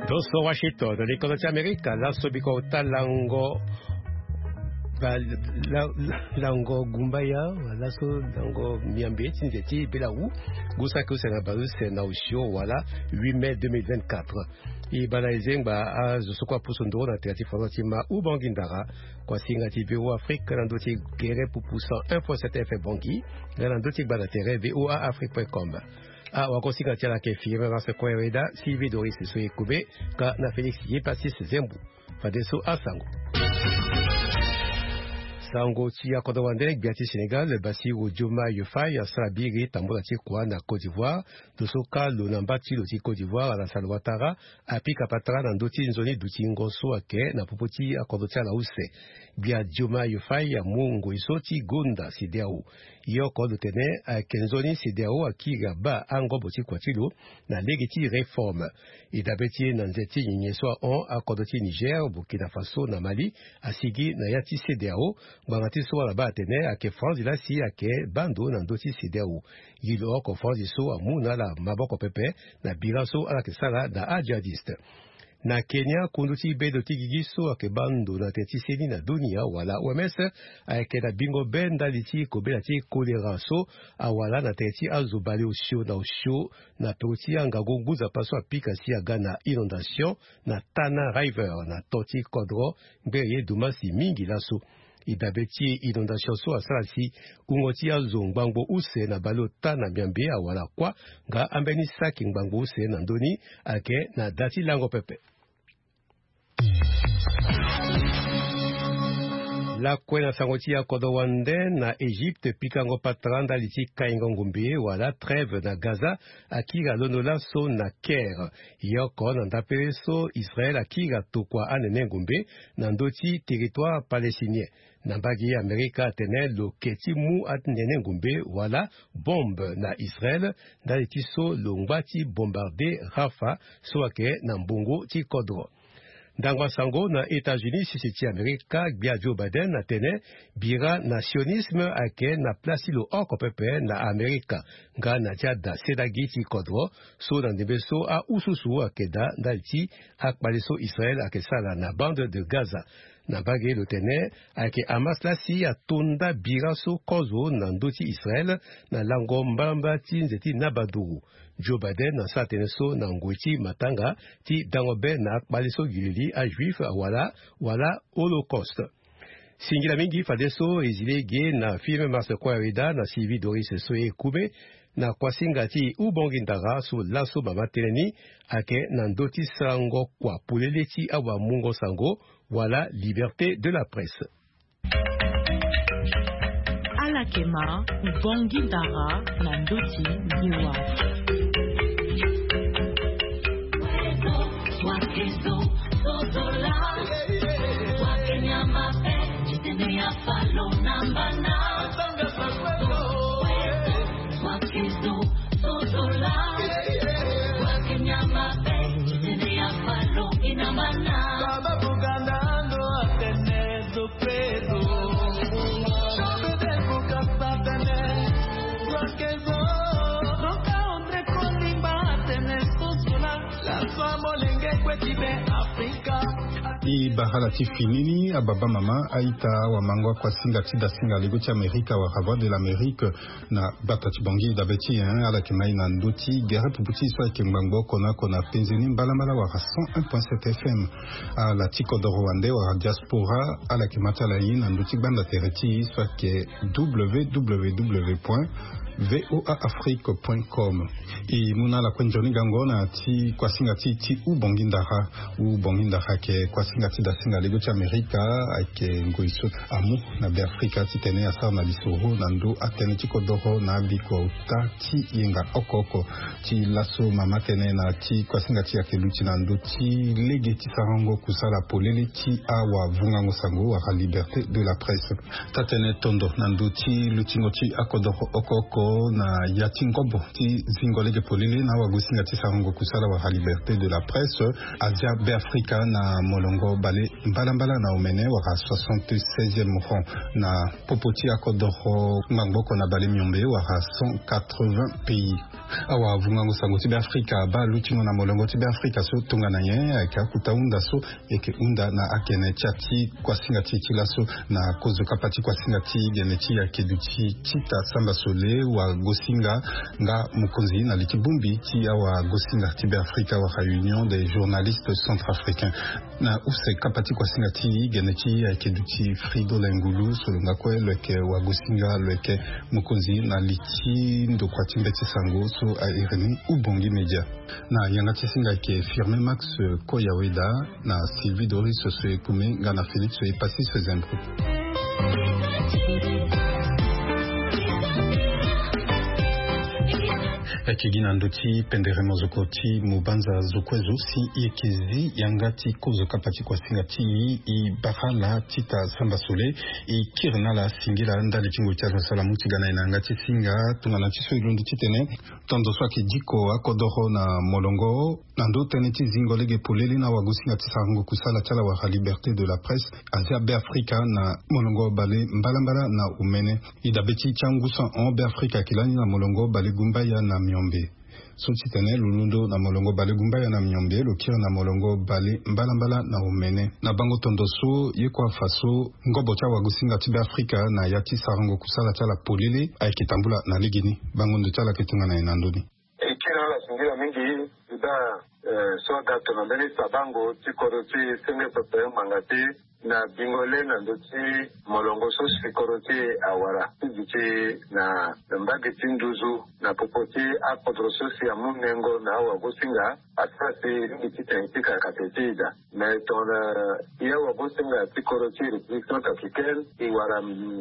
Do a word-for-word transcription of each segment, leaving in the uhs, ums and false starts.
Toso Washington na likono ti Amerika, laso biko ota lango ba- la- la- lango gumbaya, laso lango miambe ti nze ti bela wu. Gusaki use na baleuse na osio wala huit mai deux mille vingt-quatre. E bana ezengba azo so kue apusu ndoro na tere ti fondation ti ma Ubangui Ndara, kuasinga ti V O A Afrique na ndö ti gere pupu cent un point sept F M Bangui, nga na ndö ti gba na tere V O A Afrique point com. Ah, wakosinga ti ala ke firme na se kue weda, Sylvie Doris so e kube, ka na Félix Yepassis Zembu. Fadeso asango. Sango ti akodro wande, gbia ti Sénégal Bassirou Diomaye Faye asara biri tambula ti kua na Côte d'Ivoire. Ndo so ka lo na mba ti lo ti Côte d'Ivoire, Alassane Ouattara, apika patara na ndö ti nzoni dutingo so ayeke na popo ti akodro ti ala use. Gbia Diomaye Faye amu ngoi so ti gonda CEDEAO. Ye oko lo tene ayeke nzoni CEDEAO akiri abaa angobo ti kua ti lo na lege ti réforme. E dabe ti e na nze ti nyenye so ahon akodro ti Niger, Burkina Faso na Mali asigi na ya ti CEDEAO. Ngbanga ti so ala baa atene ayeke franzi lasi ayeke baa ndo na ndö ti CEDEAO. Gi lo oko franzi so amu na ala maboko pepe na bira so ala yeke sara na ajihadiste. Na Kenya, kundu ti bedo ti gigi so ayeke baa ndo na tere ti seni na dunia wala O M S ayeke na bingo be ndali ti kobela ti kolera so awara na tere ti azo baleosio na osio na pero ti angangu ngu nzapa so apika si aga na inondation na Tana River na to ti kodro ngbere ye dumasi mingi laso. E dabe ti inondation so asara si wungo ti azo ngbangbo use na baleota na miambe awara kuâ, nga ambeni saki ngbangbo use na ndö ni ayeke na da ti lango pepe. Lakue na sango ti akodro wande, na Egypte pikango patara ndali ti kaingo ngombe wala trêve na Gaza akiri alondo laso na Caire. Ye oko na ndapele so Israël akiri atokua anene ngombe na ndö ti territoire palestinien. Na mbage Amerika atene lo ke ti mu anene ngombe wala bombe na Israël ndali ti so lo ngba ti bombarde Rafah so ayeke na mbongo ti kodro. Ndango asango na États-Unis, sese ti Amerika, gbia Joe Biden atene bira na sionisme ayeke na place ti lo oko pepe na Amerika, nga na ti ada sedagi ti kodro so na ndembe so ahususu ayeke daa ndali ti akpale so Israël ayeke sara na bande de Gaza. Na mbage lo tene ayeke Hamas lasi atonda bira so kozo na ndö ti Israël na lango mbalambala ti nze ti nabaduru. Joe Biden asara tënë so na ngoi ti matanga ti dango be na akpale so gi lili ajuif awara wala Holocauste. Singila mingi fadeso e zi lege na filme Mars Koya Weda na Sylvie Doris so e kume na kuasinga ti Ubongi Ndara so laso mama tënë ni ayeke na ndö ti sarango kua polele ti awamungo sango wala liberté de la presse. Ala yeke ma Ubongi Ndara na ndö ti ngewa. E bara ala ti fini ni, ababa mama, aita, awamango, akuasinga ti dasinga lego ti Amerika wala Voix de l'Amérique, na bata ti Bangui dabe ti e, ala yeke ma e na ndö ti gere pupu ti e so ayeke ngbangbo oko na oko na penze ni mbalambala wala cent un point sept F M. Ala ti kodoro wande wala diaspora, ala yeke ma ti ala ye na ndö ti gbanda tere ti e so ayeke W W W point V O A Afrique point com. E mu na ala kue nzoni gango na ti kuasinga ti e ti Ubongi Ndara. Ubongi Ndara ayeke kuasinga ti dasinga lego ti Amerika, ayeke ngoi so amu na Beafrika titene asara na lisoro na ndö atënë ti kodoro na abiko ota ti yenga oko oko. Ti laso mama tënë na ti kuasinga ti e ayeke luti na ndö ti lege ti sarango kusala polele ti awavungango sango wala liberté de la presse. Taa-tënë tondo na ndö ti lutingo ti akodoro oko oko. Na ya ti ngobo ti zingo lege polele na awagosinga ti sarango kusala wala liberté de la presse, Asia Beafrika na molongo bale mbalambala na omene wala soixante-seizième rang na popo ti akodoro ngbangbo oko na bale miombe wala cent quatre-vingts pays. Awavungango sango ti Beafrika abaa lutingo na molongo ti Beafrika so tongana nyen ayeke akota hunda so eke hunda na agene ti ya ti kuasinga ti e ti laso na kozo kapa ti kuasinga ti gene ti e ayeke duti Tita Samba Sole, wagosinga nga mokonzi na li ti bongbi ti awagosinga ti Beafrika wala Union des journalistes centrafricains. Na use kapa ti kuasinga ti gene ti e ayeke duti Fridolin Ngulu, so lo nga kue lo yeke wagosinga, lo yeke mokonzi na li ti ndokua ti mbeti sango so a iri ni Ubongi Media. Na yanga ti singa ayeke Firmin Max Koyaweda, na Sylvie Doris so e kume nga na Félix Epassis Zembro. Ayeke gi na ndö ti pendere mozoko ti mobanza zo kue zo si e yeke zi yanga ti kozo kapa ti kuasinga ti e, e bara laa Tita Samba Sole, e kiri na ala singila ndali ti ngoi ti azo asara mu ti ga na e na yanga ti singa. Tongana ti so e londo titene tondo so ayeke diko akodoro na molongo na ndö tënë ti zingo lege polele na awagosinga ti sarango kusala ti ala wala liberté de la presse, Asia Beafrika na molongo bale mbalambala na omene. E dabe ti e ti angu so ahon Beafrika ayeke lani na molongo bale gumbaya na miombe. So titene lo londo na molongo bale gumbaya na miombe, lo kiri na molongo bale mbalambala na omene. Na bango tondo so ye kue afa so ngobo ti awagosinga ti Beafrika na ya ti sarango kusala ti ala polele ayeke tambula na legeni. Bango ndo ti ala ayeke tongana nyen na ndö ni? E kiri na ala singila mingi. Daa, eh, so aga tongana mbeni sabango ti kodro ti senge pepe ngbanga ti na bingo le na ndö ti molongo so si kodro ti e awara ti duti na mbage ti nduzu na popo ti akodro so si amu nengo na awagosinga, asara si e lingbi titene e pika kate ti e daa. Me tongana e awagosinga ti kodro ti République centrafricaine, e wara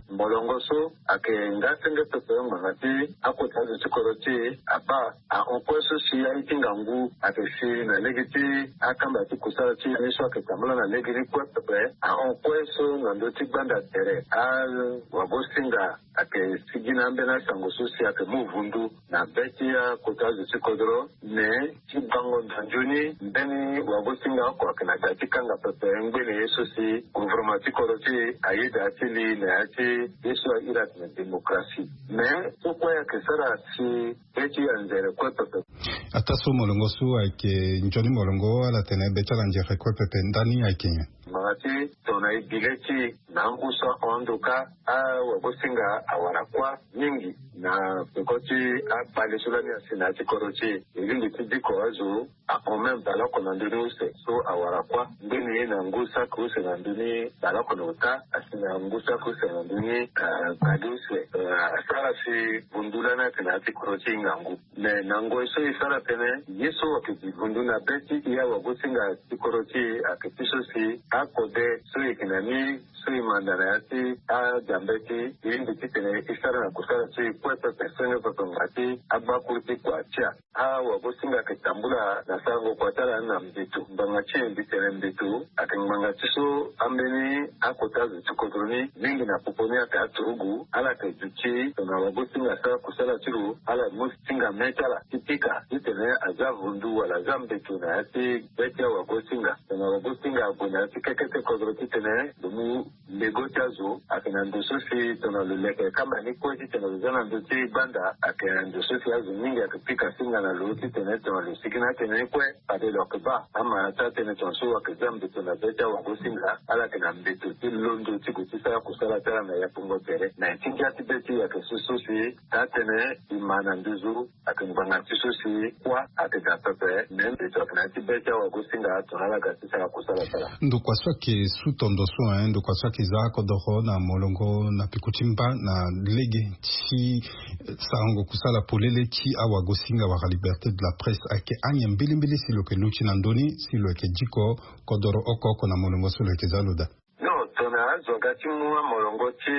molongo so ayeke nga senge pepe ngbanga ti akota azo ti kodro ti e abaa ahon kue so si aye ti ngangu ayeke si na lege ti akamba ti kusala ti e ni so ayeke tambula na legeni kue pepe. Ahon kue so na ndö ti gbanda tere awagosinga ayeke sigi na ambeni asango so si ayeke mu vundu na be ti akota azo ti kodro. Me ti bango nzanzoni mbeni wagosinga oko ayeke na da ti kanga pepe ngbene ye so si gouvernement ti kodro ti e ayeda ti li na ya ti ye so a iri atene démocratie. Me so kue ayeke sara si be ti anzere kue pepe. Ataa so molongo so ayeke nzoni molongo ala tene be ti ala anzere kue pepe ndani ayeke nyen? Ngbanga ti tongana e bi le ti e na angu so ahon ndo kâ, awagosinga awara kuâ mingi na peko ti akpale so lani asi na ya ti kodro ti e. E lingbi ti diko azo ahon même baleoko na ndö ni use so awara kuâ. Ngbeni ye na ngu saki use na ndö ni baleoko na ota asi na ngu saki use na ndö ni, ah, gbali use. Ah, asara si vundu lani ayeke na ya ti kodro ti e ngangu. Me na ngoi so e sara tënë, ye so ayeke gi vundu na be ti e awagosinga ti kodro ti e ayeke ti so si akode so e yeke na ni so e manda na ya ti adia mbeti, e lingbi titene e sara na kusala ti e kue pepe senge pepe ngbanga ti agbakuru ti kua ti a. Awagosinga ayeke tambula na sarango kua ti ala ni na mbeto. Ngbanga ti e mbi tene mbeto ayeke ngbanga ti so ambeni akota zo ti kodro ni mingi na popo ni ayeke aturugu. Ala yeke duti tongana wagosinga asara kusala ti lo, ala mu singa me ti ala ti pika titene aza vundu wala aza mbeto na ya ti be ti awagosinga. Tongana wagosinga ague na ya ti keke ti kodro titene lo mu lego ti azo ayeke na ndo so si tongana lo leke kamba ni kue titene lo za na ndö ti gbanda, ayeke na ndo so si azo mingi ayeke pika singa na lo titene tongana lo sigi na atene ni kue, fade lo yeke baa ama na taa tënë tongana so ayeke za mbeto na be ti awagosinga. Ala yeke na mbeto ti londo ti gue ti sara kusala ti ala na yapongo tere na ya ti ngia ti be ti e. Ayeke so so si taa tënë e ma na nduzu ayeke ngbanga ti so si kuâ ayeke daa pepe. Me mbeto ayeke na ya ti be ti awagosinga tongana ala ga ti sara kusala ti ala. Ndokua so ayeke su tondo so, hein, ndokua so ayeke za akodoro na molongo na peko ti mba na lege ti sarango kusala polele ti awagosinga wala liberté de la presse ayeke anyen mbilimbili si lo yeke luti na ndö ni si lo yeke diko kodoro oko oko na molongo so lo yeke za lo daa? Non, tongana azo aga ti mu amolongo ti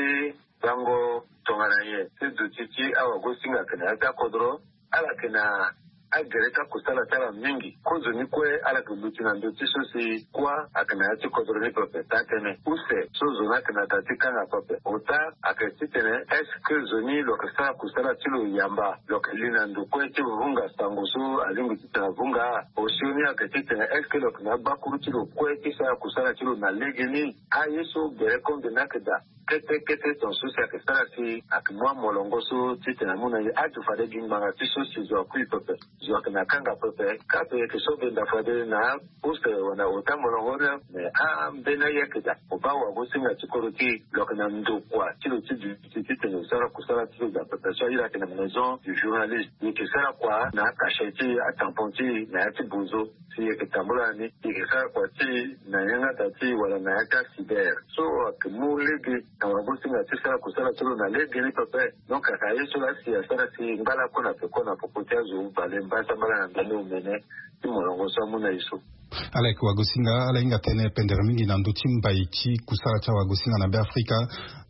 bango tongana nyen ti duti ti awagosinga ayeke na ya ti akodro, ala yeke na agere ti akusala ti ala mingi. Kozoni kue ala yeke luti na ndö ti so si kuâ ayeke na ya ti kodro ni pepe. Taa-tënë use so zo ni ayeke na daa ti kanga pepe. Ota ayeke titene est-ce que zo ni lo yeke sara kusala ti lo yamba, lo yeke li na ndo kue ti vunga sango so alingbi titene avunga? Osio ni ayeke titene est-ce que lo yeke na agbakuru ti lo kue ti sara kusala ti lo na legeni? Aye so gere kongbi ni ayeke daa kete kete tongaso si ayeke sara si ayeke mu amolongo so titene amu na ye aju fade gi ngbanga ti so si zo akui pepe. Zo ayeke na kanga pepe. Kape yeke so benda fade na use wala ota molongo ni. Me ambeni aye ayeke daa. Mo baa wagosinga ti kodro ti e, lo yeke na ndokua ti lo ti duti titene lo sara kusala ti lo daa pepe so aye lo ayeke na maison du journaliste. E yeke sara kua na akashe ti e, atampon ti e na ya ti bozo. Si e yeke tambula ni, e yeke sara kua ti e na yanga daa ti e wala na ya ti acyber. So ayeke mu lege na wagosinga ti sara kusala ti lo na legeni pepe. Donc ayeke aye so laa si asara si ngba lakue na peko na popo ti azo bale mbasambala na ndani omene ti molongo so amu na e so. Ala yeke wagosinga, ala hinga tënë pendere mingi na ndö ti mbai ti kusala ti awagosinga na Beafrika.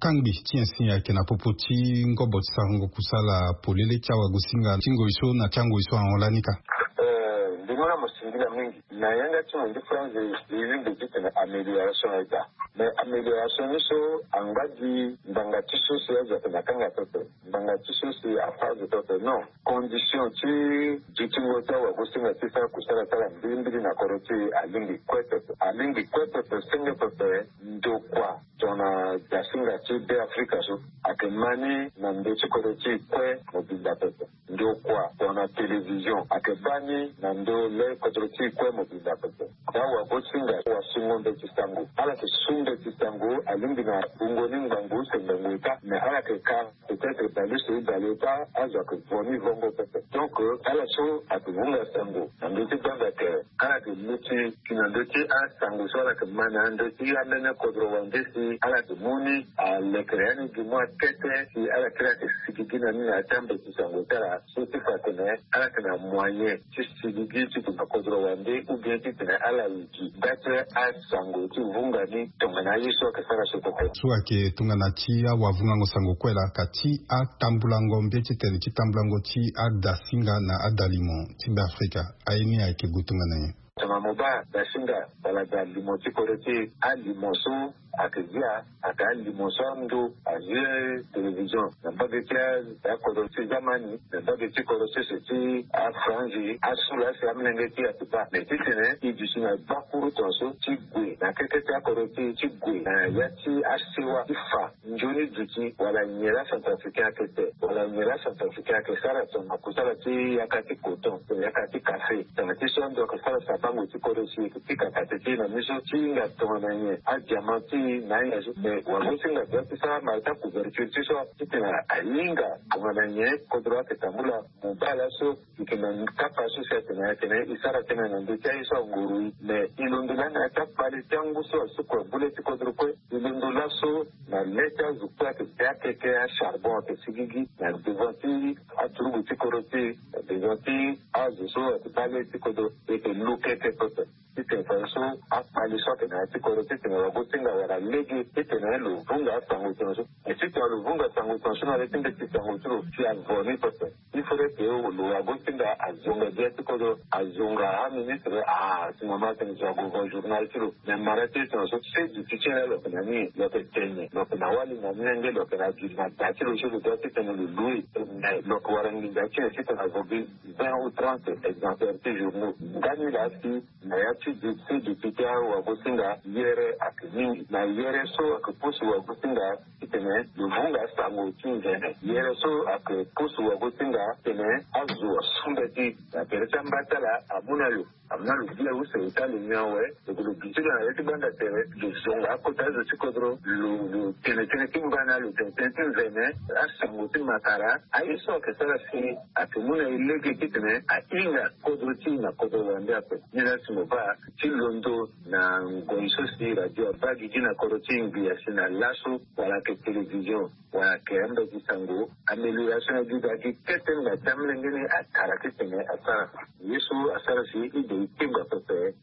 Kangbi ti nyen si ayeke na popo ti ngobo ti sarango kusala polele ti awagosinga ti ngoi so na ti angoi so ahon lani ka? Eh, ndemona mo singila mingi. Na yanga ti mo ndi France, e lingbi titene amélioration aye daa. Mais amélioration ni so angba gi ngbanga ti so si azo ayeke na kanga pepe, ngbanga ti so si afa azo pepe, non. Condition ti dutingo ti awagosinga ti sara kusala ti ala mbilimbili na kodro ti e alingbi kue pepe. Alingbi kue pepe, senge pepe. Ndokua tongana dasinga ti Beafrika so ayeke ma ni na ndö ti kodro ti e kue mobimba pepe. Ndokua tongana télévision ayeke baa ni na ndö le kodro ti e kue mobimba pepe. Daa wagosinga wasungo mbeti sango. Ala yeke su mbeti sango alingbi na bungo ni ngbangbo use ngbangbo eta, mais ala yeke ka peut-être baleuse e baleota, azo ayeke vo ni vongo pepe. Donc ala so ayeke vunga sango na ndö ti gbanda tere, ala yeke luti na ndö ti asango so ala yeke ma na ndö ti amene kodro wande si ala yeke mu ni alekere ya ni gi mu akete si ala kiri ayeke sigigi na ni na ya ti ambeti sango ti ala. So ti fa atene ala yeke na moyen ti sigigi ti gue na kodro wande ou bien titene ala gi nda ti asango ti vunga ni tongana aye so ayeke sara so koko. So ayeke tongana ti awavungango sango kue laa ka ti atambulango mbeni titene ti tambulango ti adasinga na adalimo ti Beafrika, aye ni ayeke gue tongana nyen? Tongana mo baa dasinga wala dalimo ti kodro ti e, alimo so ayeke zia, ayeke alimo so ando azie télévision na mbage ti a, akodro ti Zamani, na mbage ti kodro sese ti Afranzi, asu laa si amolenge ti e ayeke baa. Me titene e duti na gbakuru tongaso ti gue na keke ti akodro ti e, ti gue na ya ti asewa ti fa nzoni duti wala nyen laa Centrafricain ayeke te, wala nyen laa Centrafricain ayeke sara tongana kusala ti yaka ti coton, yaka ti café. Tongana ti so ando ayeke sara sabango ti kodro si e yeke pika kate ti e na miso ti hinga tongana nyen adiamant ti e na ahinga so. Me wagosinga doit ti sara mara ti acouverture ti so titene ahinga tongana nyen kodro ayeke tambula. Mo baa laso e yeke na kapa so si atene atene e sara tënë na ndö ti aye so anguru e. Me e londo laa na ya ti akpale ti angu so asukua bule ti kodro kue. E londo laso na le ti azo kue ayeke be akeke, acharbon ayeke sigigi na devant ti aturugu ti kodro ti e, na devant ti azo so ayeke baa le ti kodro. E yeke lo keke pepe titene fadeso akpale so ayeke na ya ti kodro titene wagosinga wala lege titene lo vunga asango tongaso. E titene lo vunga sango tongaso na le ti mbeti sango ti lo si avo ni pepe. Il faudrait que lo wagosinga azonga gbia ti kodro, azonga aministre. Ah, si mama atene zo ague vo journal ti lo. Me mara ti e tongaso, se duti ti e laa lo yeke na ni, lo yeke tene, lo yeke na wali na ni lenge, lo yeke na gi na da ti lo so lo doit titene lo loue. Me lo yeke wara nginza ti e titene avo gi vingt ou trente exemplaires ti journaux. Ndani laa si na ya ti duti, duti ti awagosinga, yere ayeke mingi. Na yere so ayeke pusu wagosinga titene lo vunga sango ti nzene. Yere so ayeke pusu wagosinga titene azo asu mbeti na tere ti amba ti ala amu na lo. Amu na lo bia use ota lo nyon awe. Lo yeke lo duti lo na ya ti gbanda tere, lo zonga akota azo ti kodro, lo, lo tene tënë ti mbana, lo tene tënë ti nzene, asango ti makara. Aye so ayeke sara si ayeke mu na e lege titene ahinga kodro ti e na kodro wande ape. Ni laa si mo baa ti londo na ngoi so si radio abaa gigi na kodro ti e ngbii asi na laso, wala ayeke télévision, wala ayeke ambeti sango, amélioration na gi daa gi kete ngba ti amolenge ni akara titene asara. Ye so asara si e de e kengba pepe.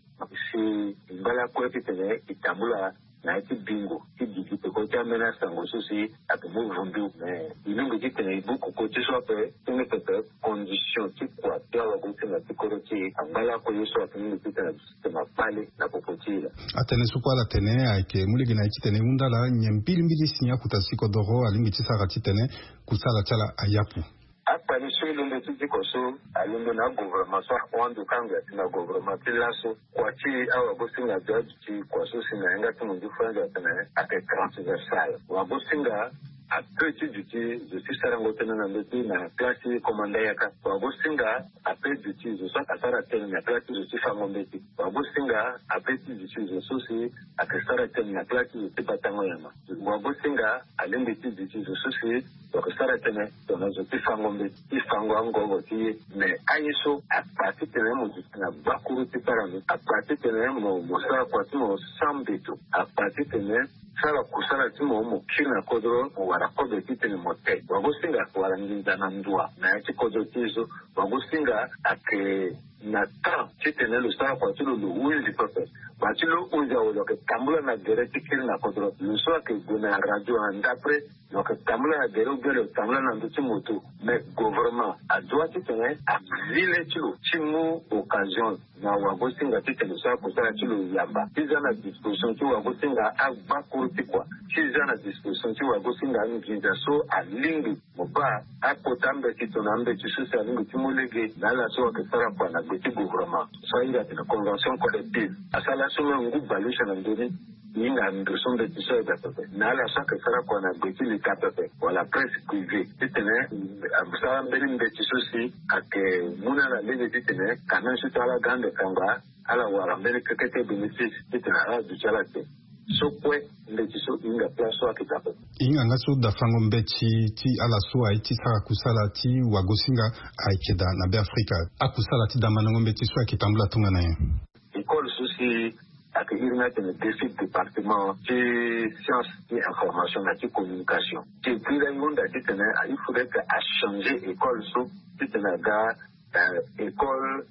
Si ngba lakue titene e tambula na ya ti bingo ti gigi peko ti ameni asango so si ayeke mu vundu. Me e lingbi titene e buku koti so ape ti mbi pepe condition ti kua ti awagosinga. Ti angba lakue ye so atene mingi titene aduti titene akpale na popo ti e laa. Atene so kue ala tene ayeke mu lege na ye titene e hunda laa nyen mbilimbili si akuta si kodoro alingbi ti sara titene kusala ti ala ayapu. Akpali so e londo ti diko so alondo na agouvernement so ahon ando kangbi ati na gouvernement ti laso. Kua ti awagosinga azo aduti kua so si na yanga ti mondiou frange atene ayeke transversal. Wagosinga ape ti duti zo ti sarango tënë na ndö ti na place ti komanda yaka. Wagosinga ape duti zo so asara tënë na place ti zo ti fango mbeti. Wagosinga ape ti duti zo so si ayeke sara tënë na place ti zo ti batango nyama. Wagosinga alingbi ti duti zo so si lo yeke sara tënë tongana zo ti fango mbeti ti fango angogo ti ye. Me aye so akpa titene mo duti na gbakuru ti sara ni, akpa titene mo mo sara kua ti mo sans mbeto, akpa titene sara kusala ti mo mo kiri na kodro mo wara kobe titene mo te. Wagosinga ayeke wara nginza na ndua na ya ti kodro ti e so. Wagosinga ayeke na temps titene lo sara kua ti lo lo hunzi pepe. Kua ti lo hunzi awe lo yeke tambula na gere ti kiri na kodro. Lo so ayeke gue na radio na ndapre lo yeke tambula na gere ou bien lo tambula na ndö ti moto. Mais gouvernement adoit titene azi le ti lo ti mu occasion na wagosinga titene lo sara kusala ti lo yamba ti za na disposition ti wagosinga agbakuru ti kua ti za na disposition ti wagosinga anginza so alingbi. Mo baa akota mbeti tongana ambeti so si alingbi ti mu lege na ala so ayeke sara kua na gbe ti gouvernement so ahinga atene convention collective. Asara so même ngu baleuse na ndö ni. E hinga ndo so mbeti so ayeda pepe na ala so ayeke sara kua na gbe ti leta pepe wala presse privée titene asara mbeni mbeti so si ayeke mu na ala lege titene quand même so ti ala ga ande kanga ala wara mbeni kekete bénéfice titene ala duti ala te. So kue mbeti so e hinga place so ayeke daa pepe. E hinga nga so dafango mbeti ti ala so aye ti sara kusala ti wagosinga ayeke daa na Beafrika. Akusala ti damandango mbeti so ayeke tambula tongana nyen? École so si ayeke iri ni atene défi département ti science ti information na ti communication. Ti e kiri ahunda titene il faudrait que achanger école so titene aga école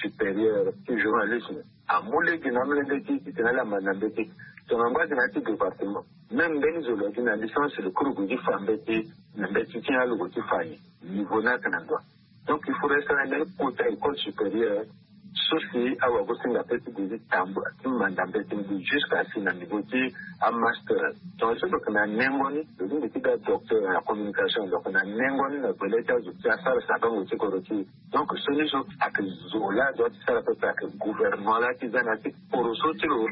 supérieure ti journalisme. Amu lege na amolenge ti e titene ala ma na mbeti. Tongana ngba gi na ya ti département même mbeni zo lo yeke na licence lo kiri gue ti fa mbeti na mbeti ti alogo ti fa nyen? Niveau ni ayeke na ndua. Donc il faudrait sara mbeni kota école supérieure so si awagosinga ape ti gue ti tambula ti manda mbeti mbi jusqu'à si na niveau ti amaster. Tongana so lo yeke na nengo ni lo lingbi ti ga docteur na communication lo yeke na nengo ni na gbele ti azo ti asara sagango ti kodro ti e. Donc so ni so ayeke zo laa azo ti sara pepe ayeke gouvernement laa ti za na ya ti poroso ti lo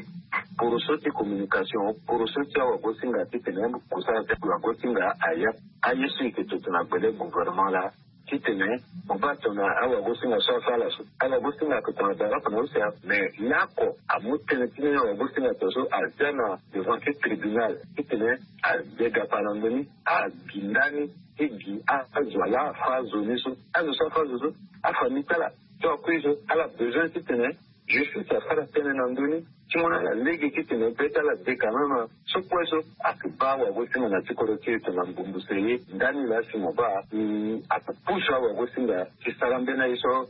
poroso ti communication poroso ti awagosinga titene kusala ti awagosinga aya. Aye so e yeke toto na gbele gouvernement laa titene mo baa tongana awagosinga so asara so awagosinga ayeke tongana dara oko na use. Mais laoko amu tënë ti mbeni awagosinga to so azia na devant ti tribunal titene aze gapa na ndö ni. Abi ndani ti gi azo ala afa azo ni so azo so afa azo so afamille ti ala so akui so ala besoin titene justice asara tënë na ndö ni ti mu na ala lege titene be ti ala de quand même. So kue so ayeke baa awagosinga na ti kodro ti e tongana mbumbu se ye ndani laa si mo baa e ayeke pusu awagosinga ti sara mbeni aye so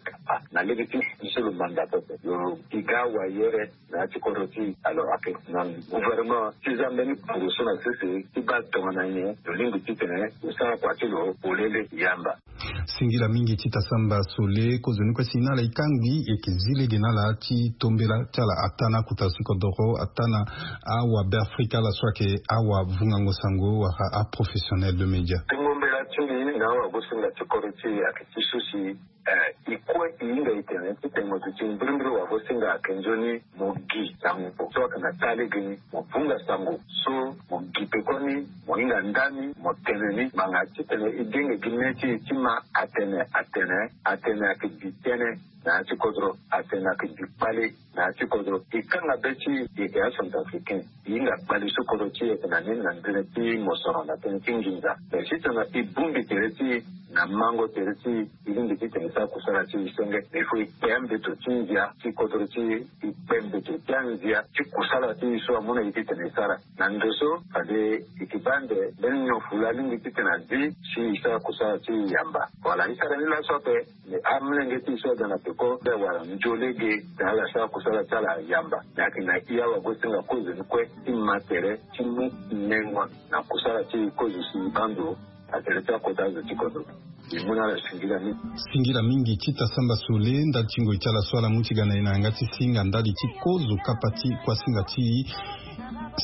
na lege ti so lo manda pepe lo e ga awayere na ya ti kodro ti e. Alors ayeke na gouvernement ti za mbeni puru so na sese ti baa tongana nyen lo lingbi titene lo sara kua ti lo polele yamba. Singila mingi ti tasamba sole kozoni kue si na ala e kangbi e yeke zi lege na ala ti tombela ti ala ataa na akota si kodoro ataa na awabeafrika ala so ayeke awavungango sango wala aprofessionnel de média. Tongo mbela ti mbi na awagosinga ti kodro ti e ayeke ti so si e kue e hinga e tene titene mo duti mbirimbiri wagosinga ayeke nzoni mo gi sango so ayeke na taa lege ni mo vunga sango so mo gi peko ni mo hinga ndani mo tene ni ngbanga titene e denge gi me ti e ti ma atene atene atene ayeke bi tënë na ya ti kodro atene ayeke bi kpale na ya ti kodro. E kanga be ti e e acentrafricain e hinga kpale so kodro ti e ayeke na ni na ndene ti mosoro na tënë ti nginza. Mais si tongana e bongbi tere ti e na mango tere ti e e lingbi titene e sara kusala ti e senge. Mais fo e kpe ambeto ti ndia ti kodro ti e e kpe mbeto ti anzia ti kusala ti e so amu na e titene e sara. Na ndo so fade e yeke baa ande mbeni nyon fu laa alingbi titene azi si e sara kusala ti e yamba. Wala e sara ni laso ape. Mais amolenge ti e so aga na peko nde awara nzio lege titene ala sara kusala ti ala yamba. Mais ayeke na e awagosinga kozoni kue ti ma tere ti mu nengo na kusala ti e kozo si e baa ndo na tere ti akota azo ti kodro. Singila mingi ti tasamba sole ndali ti ngoi ti ala so ala mu ti ga na ye na yanga ti singa ndali ti kozo kapa ti kuasinga ti e.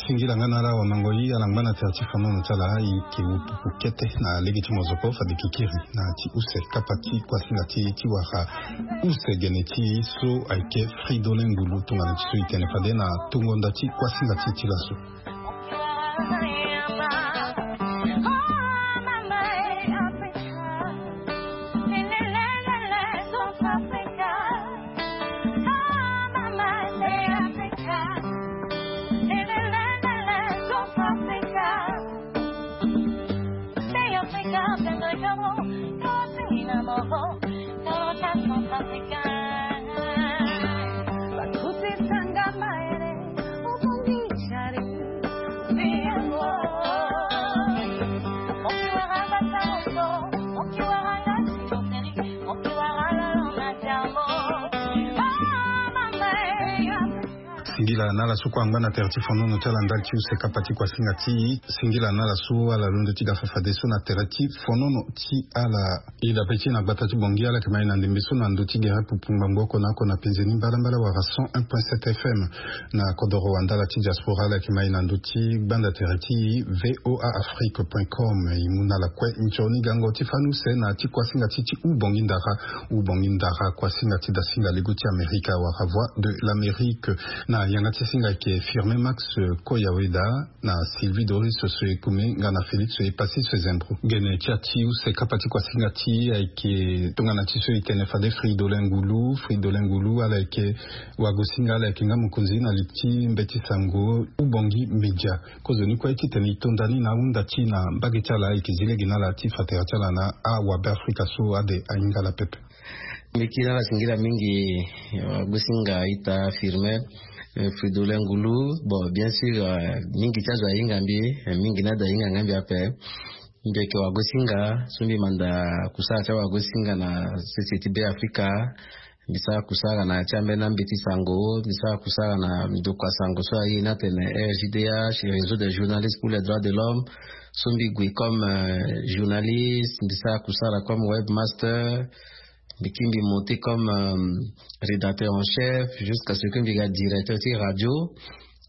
Singila nga na ala wamangoi ala ngba na tere ti fonono ti ala. E yeke wu pupu kete na lege ti mozoko fade kikiri na ti use kapa ti kuasinga ti e ti wara use gene ti e so ayeke Fridolin Ngulu tongana ti so e tene fade na tongo nda ti kuasinga ti e ti laso. Singila na ala so kue angba na tere ti fonono ti ala ndali ti use kapa ti kuasinga ti e. Singila na ala so ala londo ti ga fafadeso na tere ti fonono ti ala. E dape ti e na gbata ti Bangui ala yeke ma e na ndembe so na ndö ti gere pupu ngbangbo oko na oko na penze ni mbalambala wala cent un point sept F M. Na kodoro wandala ti diaspora ala yeke ma e na ndö ti gbanda tere ti voa afrique point com. E mu na ala kue nzoni gango ti fani use na ti kuasinga ti ti Ubongi Ndara. Ubongi Ndara kuasinga ti dasinga lego ti Amerika wala Voix de l'Amérique. Na yanga ti singa ayeke Firmin Max Koyaweda na Sylvie Doris Soekume nga na Félix Epassis Fezembro. Gene ti ati use kapa ti kuasinga ti e ayeke tongana ti so e tene fade Fridolin Ngulu. Fridolin Ngulu ala yeke wagosinga, ala yeke nga mokonzi na li ti mbeti sango Ubongi Media. Kozoni kue titene e to nda ni na ahunda ti e na mbage ti ala, e yeke zi lege na ala ti fa tere ti ala na awabe afrika so ade ahinga ala pepe. Mbi kiri na ala singila mingi. Wagosinga ita Firmin, eh, Fridolin Ngulu. Bon, bien sûr, eh, mingi ti azo ahinga mbi, eh, mingi ni ade ahinga nga mbi ape. Mbi yeke wagosinga so mbi manda kusala ti awagosinga na sese ti Be Afrika. Mbi sara kusala na ya ti ambeni ambeti sango, mbi sara kusala na ndokua sango so aye ni atene R J D H, Réseau des journalistes pour les droits de l'homme. So mbi gue comme, euh, journaliste, mbi sara kusala comme webmaster. Mbi kiri mbi monté comme, euh, rédacteur en chef jusqu'à ce que mbi ga directeur ti radio.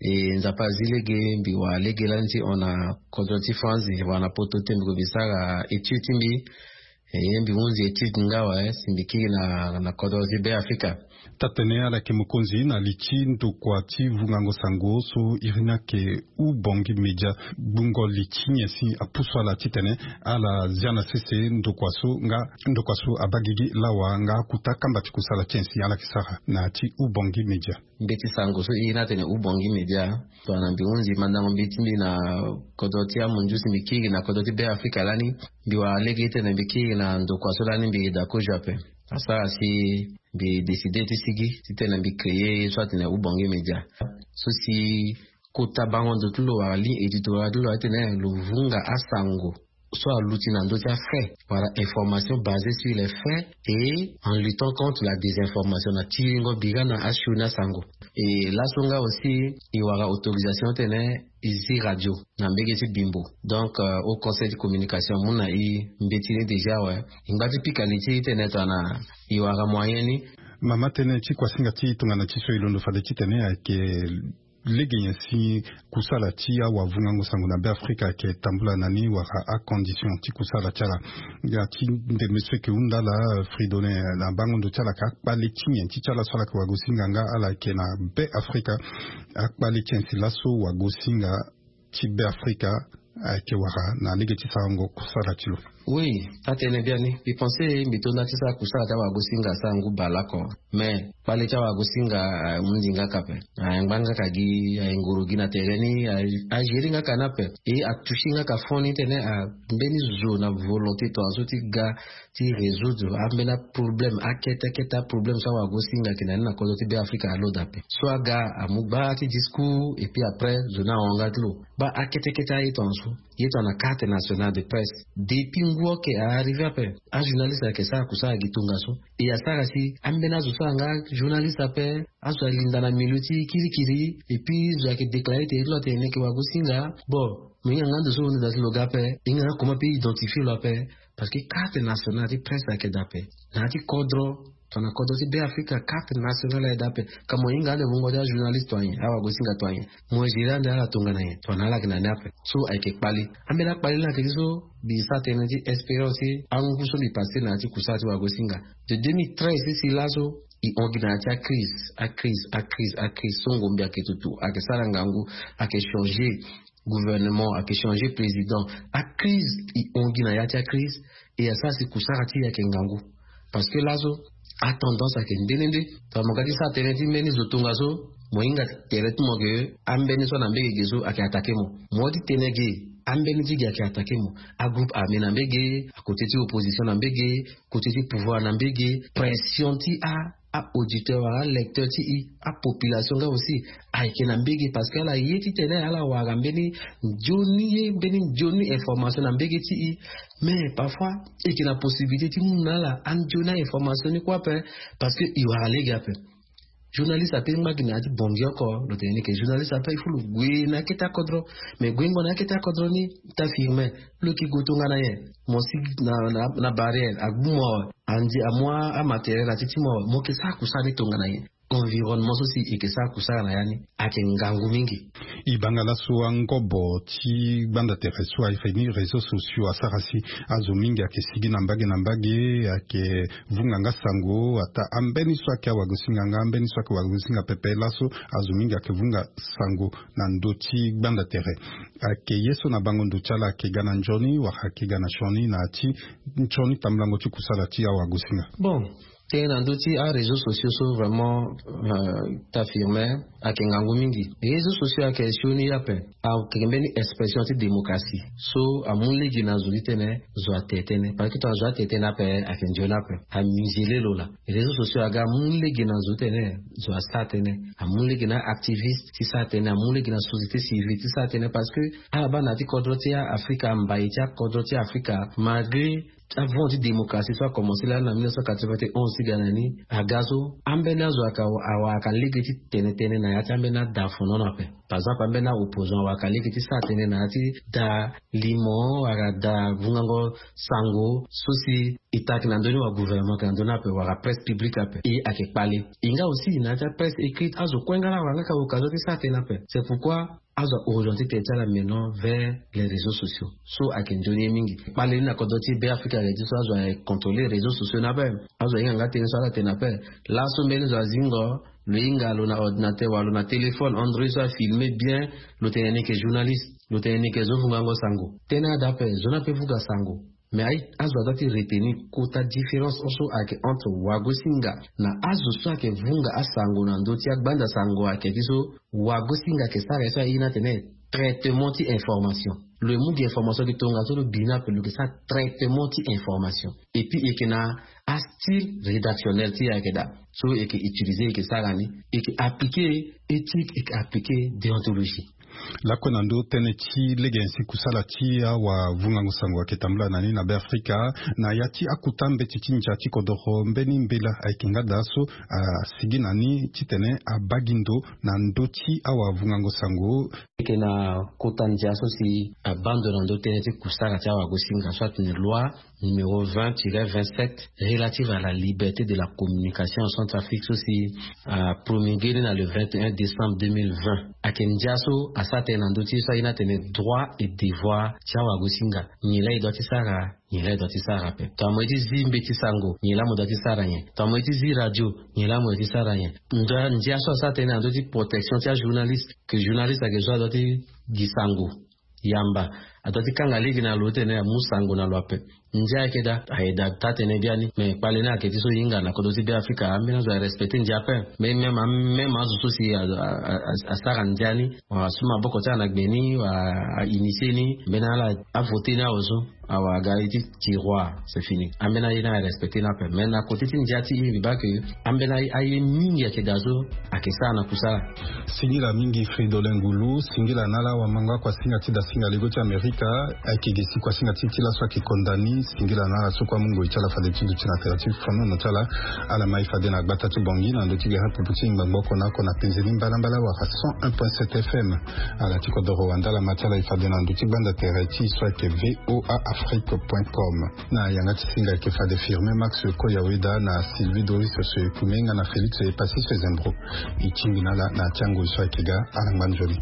E Nzapa azi lege mbi wara lege lani ti hon na kodro ti France, wala na poto ti mbi gue mbi sara étude ti mbi. E ye mbi hunzi étude nga awe si mbi kiri na, na kodro ti Be Afrika. Taa-tene ala yeke mokonzi na li ti ndokua ti vungango sango so iri ni ayeke Ubongi Media. Gbungo li ti nyen si apusu ala titene ala zia na sese ndokua so nga ndokua so abaa gigi lawa nga akuta kamba ti kusala ti nyen si ala yeke sara na ya ti Ubongi Media? Mbeti sango so iri ni atene Ubongi Media, tongana mbi hunzi mandango mbeti ti mbi na kodro ti amunzu si mbi kiri na kodro ti Be Afrika lani, mbi wara lege titene mbi kiri na ndokua so lani mbi yeda kozo ape. Asara si mbi décidé ti sigi titene mbi créé ye so atene Ubongi Media. So si kota bango ndo ti lo wala ligne éditoriale ti lo atene lo vunga asango so aluti na ndö ti afait wala information basée sur les faits et en luttant contre la désinformation na tiringo bira na asioni asango. E laso nga aussi e wara autorisation titene e zi radio na mbege ti Bimbo. Donc, euh, au conseil de communication amu na e mbeti ni déjà awe. E ngba ti pika li ti e titene tongana e wara moyen ni. Mama, tënë ti kuasinga ti e tongana ti so e londo fade titene ayeke lege nyen si kusala ti awavungango sango na Be Afrika ayeke tambula na ni wala acondition ti kusala ti ala? Ya ti ndembe so e yeke hunda ala, Fridolin, na bango ndo ti ala ayeke akpale ti nyen ti ti ala so ala yeke wagosinga nga ala yeke na Be Afrika? Akpale ti nyen si laso wagosinga ti Be Afrika ayeke wara na lege ti sarango kusala ti lo? Oui, taa-tënë biani, mbi pensé mbi to nda ti sara kusala ti awagosinga asangu bale oko. Mais kpale ti awagosinga, ah, ahundi nga ka ape. Ayangba nga ka gi, ayengoro gi na tere ni, a, agérer nga ka ni ape. E atoucher nga ka fond ni titene, ah, mbeni zo na volonté tongaso ti ga ti résoudre ambeni aproblème, akete akete aproblème so awagosinga ayeke na ni na kodro ti Be Afrika alondo ape. So aga amu gbaa ti discours, et puis après zo ni ahon nga ti lo. Baa akete kete aye tongaso. Ye tongana carte nationale de presse, depuis ngu oke a arrivé ape, ajournaliste ayeke sara kusala gi tongaso. E asara si ambeni azo so ayeke nga journaliste ape, azo alinda na milieu ti kirikiri, et puis zo ayeke déclarer tene ti lo atene ni ayeke wagosinga. Bon, mo hinga nga ndo so lo hinda ti lo ga ape, e hinga nga comment mpe identifier lo ape. Parce que carte nationale ti presse ayeke daa ape. Na ya ti kodro, tongana kodro ti Be Afrika, carte nationale ayeke daa ape. Ka mo hinga ande wungo ti ajournaliste to anyen, awagosinga to anyen, mo gérer ande ala tongana nyen? Tongana ala yeke na ni ape. So ayeke kpali. Ambeni akpali ni ayeke ti so mbi sa tënë ti expérience ti angu so mbi passé na ya ti kusala ti wagosinga. De deux mille treize ti si laso, e hon gi na ya ti acrise, acrise, acrise, acrise. So ngombe ayeke tutu, ayeke sara ngangu, ayeke changer gouvernement, ayeke changer président. Acrise, e hon gi na ya ti acrise. E asara si kusara ti e ayeke ngangu. Parce que laso atendance ayeke nde nde nde. Tongana mo ga ti sara tënë ti mbeni zo tongaso, mo hinga tere ti mo ke ambeni so ana mbege ge so ayeke attaqué mo. Mo ti tene ge, ambeni ti ge ayeke attaqué mo. Agroupe armé na mbege, akoté ti opposition na mbege, koté ti pouvoir na mbege. Pression ti a a-auditeur wala alecteur ti e, apopulation nga aussi, ayeke na mbege. Parce que ala ye titene ala wara mbeni nzoni ye, mbeni nzoni information na mbege ti e. Mais parfois e yeke na possibilité ti mu na ala anzoni a-information ni kue ape. Parce que e wara lege ape. Journaliste ape ngba gi na ya ti bongi oko, lo tene ni ke journaliste ape, il faut lo gue na akete akodro. Mais guengo na akete akodro ni, ta firme, lo yeke gue tongana nyen? Mo si na, na, na barrière, agbu mo awe, andi amu amatériel na ti ti mo awe, mo yeke sara kusala ni tongana nyen? Environnement so si e yeke sara kusala na ya ni ayeke ngangu mingi. E banga laso angobo ti gbanda tere so aye fini réseaux sociaux asara si azo mingi ayeke sigi na mbage na mbage, ayeke vunga nga sango, ata ambeni so ayeke awagosinga nga ambeni so ayeke wagosinga pepe, laso azo mingi ayeke vunga sango na ndö ti gbanda tere. Ayeke ye so na bango ndo ti ala ayeke ga na nzoni wala ayeke ga na sioni na ya ti nsioni tambulango ti kusala ti awagosinga? Bon, tënë na ndö ti aréseaux sociaux so vraiment, euh, ta firme, ayeke ngangu mingi. Réseaux sociaux ayeke sioni ye ape. Ayeke mbeni expression ti démocratie so amu lege na zo ti tene zo ate tënë. Parce que tongana zo ate tënë ape, ayeke nzoni ape. Amusele lo laa. Réseaux sociaux aga amu lege na zo ti tene zo asara tënë. Amu lege na activiste ti sara tënë, amu lege na société civile ti sara tënë. Parce que ala baa na ya ti kodro ti Afrika, mbai ti akodro ti Afrika, malgré avant ti démocratie so akomanse lani na mille neuf cent quatre-vingt-onze ti ga na ni, aga so ambeni azo ayeke awara lege ti tene tënë na ya ti ambeni ada fonono ape. Par exemple, ambeni a-opposant awara lege ti sara tënë na ya ti da limo wala da vungango sango so si e taki na ndö ni wa gouvernement ayeke na ndö ni ape, wala presse publique ape, e ayeke kpale. E nga aussi na ya ti apresse écrite, azo kue nga laa awara nga ka occasion ti sara tënë ape. C'est pourquoi azo a-orienté tënë ti ala maintenant vers les réseaux sociaux. So ayeke nzoni ye mingi. Kpale ni na kodro ti Be Afrika ayeke ti so azo aye contrôler réseaux sociaux ni ape. Azo ahinga nga tënë so ala tene ape. Laso mbeni zo azingo, lo hinga lo na ordinateur wala lo na téléphone Android so afilme bien, lo tene ni yeke journaliste, lo tene ni yeke zo vungango sango. Tënë ada ape, zo ni ape vunga sango. Mais aye, azo adoit ti retenir kota différence so ayeke entre wagosinga na azo so ayeke vunga asango na ndö ti agbanda sango, ayeke ti so wagosinga ayeke sara ye so aye ni atene traitement ti information. Lo yeke mu gi information gi tongaso, lo bi ni ape, lo yeke sara traitement ti information. Et puis e yeke na astyle rédactionnel ti e ayeke daa so e yeke utiliser, e yeke sara ni, e yeke appliquer éthique, e yeke appliquer déontologie. Lakue na ndö tënë ti lege nyen si kusala ti awavungango sango ayeke tambula na ni na Be Afrika, na ya ti akota mbeti ti ndia ti kodoro, mbeni mbela ayeke nga daa so asigi na ni titene abaa gi ndo na ndö ti awavungango sango? E yeke na kota ndia so si abaa ndo na ndö tënë ti kusala ti awagosinga so atene loi numéro vingt tiret vingt-sept relative à la liberté de la communication en Centrafrique, so si apromulgué ni na le vingt et un décembre deux mille vingt. Ayeke ndia so asara tënë na ndö ti ye so aye ni atene droit et devoir ti awagosinga. Nyen laa e doit ti sara, nyen laa e doit ti sara ape. Tongana mo ye ti zi mbeti sango, nyen laa mo doit ti sara nyen? Tongana mo ye ti zi radio, nyen laa mo doit ti sara nyen? Ndia, ndia so asara tënë na ndö ti protection ti ajournaliste, que journaliste ayeke zo adoit ti gi sango yamba, adoit ti kanga lege na lo titene amu sango na lo ape. Ndia ayeke daa, ayeke daa taa-tënë biani. Mais kpale ni ayeke ti so e hinga na kodro ti Be Afrika, ambeni azo arespecté ndia ape. Mais même, même azo so si a, a, a, asara ndia ni, wala asu maboko ti ala na gbe ni, wala a-initié ni, mbeni ala avoté ni awe so, awara ga ye ti tiroir, c'est fini. Ambeni aye ni arespecté ni ape. Mais na côté ti ndia ti e, mbi baa que ambeni aye, aye mingi ayeke daa so ayeke sara na kusala. Singila mingi Fridolin Ngulu, singila na ala wamango akuasinga ti dasinga lego ti Amérique. Ka ayeke gi si kuasinga ti ti laso ayeke konda ni singila na ala so kue amu ngoi ti ala fade ti duti na tera ti fonono ti ala. Ala mai fade na gbata ti bongi na ndö ti gere apupu ti ngbangbo oko na oko na penze ni mbalambala wala cent un point sept F M. Ala ti kodoro wanda ala ma ti ala e fade na ndö ti gbanda tere ti so ayeke V O A Afrique point com. Na yanga ti singa ayeke fade Firmin Max Koyaweda na Sylvie Doris Soekume nga na Félix Epassis Zembro. E tingbi na ala na ya ti angoi so ayeke ga. Ala ngba nzoni.